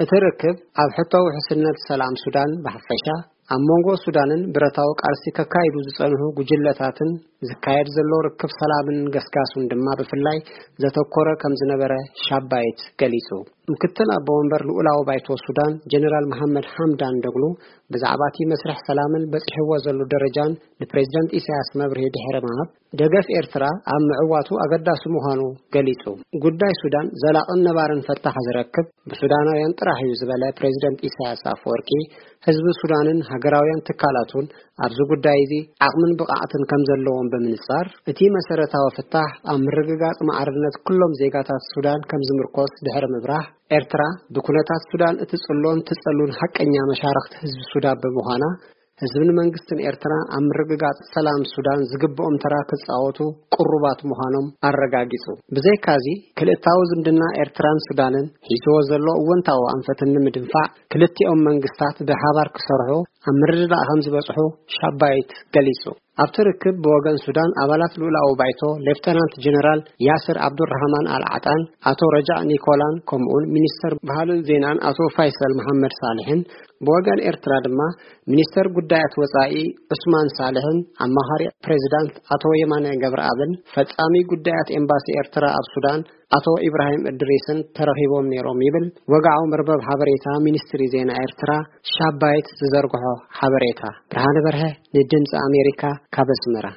እቲ ርክብ ኣብ ሕቶ ውሕስነት ሰላም ሱዳን ብሓፈሻ፣ ኣብ መንጎ ሱዳንን ብረታዊ ቃልሲ ከካይዱ ዝጸንሑ ጉጅለታትን ዝካየድ ዘሎ ርክብ ሰላምን ገስጋሱን ድማ ብፍላይ ዘተኮረ ከም ዝነበረ ሻባይት ገሊጹ። ምክትል ኣቦ ወንበር ልኡላዊ ባይቶ ሱዳን ጀነራል መሓመድ ሓምዳን ደግሉ ብዛዕባ እቲ መስርሕ ሰላምን በጺሕዎ ዘሎ ደረጃን ንፕሬዝደንት ኢሳያስ መብርሂ ድሕሪ ምሃብ፣ ደገፍ ኤርትራ ኣብ ምዕዋቱ ኣገዳሲ ምዃኑ ገሊጹ። ጉዳይ ሱዳን ዘላቕን ነባርን ፈታሕ ዝረክብ ብሱዳናውያን ጥራሕ እዩ ዝበለ ፕሬዝደንት ኢሳያስ ኣፈወርቂ፣ ህዝቢ ሱዳንን ሃገራውያን ትካላቱን ኣብዚ ጉዳይ እዚ ዓቕምን ብቕዓትን ከም ዘለዎም ብምንጻር፣ እቲ መሰረታዊ ፍታሕ ኣብ ምርግጋጽ ማዕርነት ኩሎም ዜጋታት ሱዳን ከም ዝምርኮስ ድሕሪ ምብራህ፣ ኤርትራ ብኩነታት ሱዳን እትጽሎን ትጸሉን ሓቀኛ መሻርኽቲ ህዝቢ ሱዳን ብምዃና፣ ህዝብን መንግስትን ኤርትራ ኣብ ምርግጋጽ ሰላም ሱዳን ዝግብኦም ተራ ክጻወቱ ቅሩባት ምዃኖም ኣረጋጊጹ። ብዘይካዚ፣ ክልእታዊ ዝምድና ኤርትራን ሱዳንን ሒዝዎ ዘሎ እወንታዊ ኣንፈትን ንምድንፋዕ፣ ክልቲኦም መንግስታት ብሓባር ክሰርሑ ኣብ ምርድዳእ ከም ዝበጽሑ ሻባይት ገሊጹ። ኣብቲ ርክብ ብወገን ሱዳን ኣባላት ልኡላዊ ባይቶ ሌፍተናንት ጀነራል ያስር ኣብዱራህማን ኣልዓጣን ኣቶ ረጃእ ኒኮላን ከምኡውን ሚኒስተር ባህልን ዜናን ኣቶ ፋይሰል መሐመድ ሳልሕን፣ ብወገን ኤርትራ ድማ ሚኒስተር ጉዳያት ወጻኢ ዑስማን ሳልሕን ኣማኻሪ ፕሬዚዳንት ኣቶ የማነ ገብረኣብን ፈጻሚ ጉዳያት ኤምባሲ ኤርትራ ኣብ ሱዳን ኣቶ ኢብራሂም እድሪስን ተረኺቦም ነይሮም ይብል ወግዓዊ መርበብ ሓበሬታ ሚኒስትሪ ዜና ኤርትራ ሻባይት ዝዘርግሖ ሓበሬታ። ብርሃነ በርሀ ንድምፂ ኣሜሪካ ካብ ኣስመራ።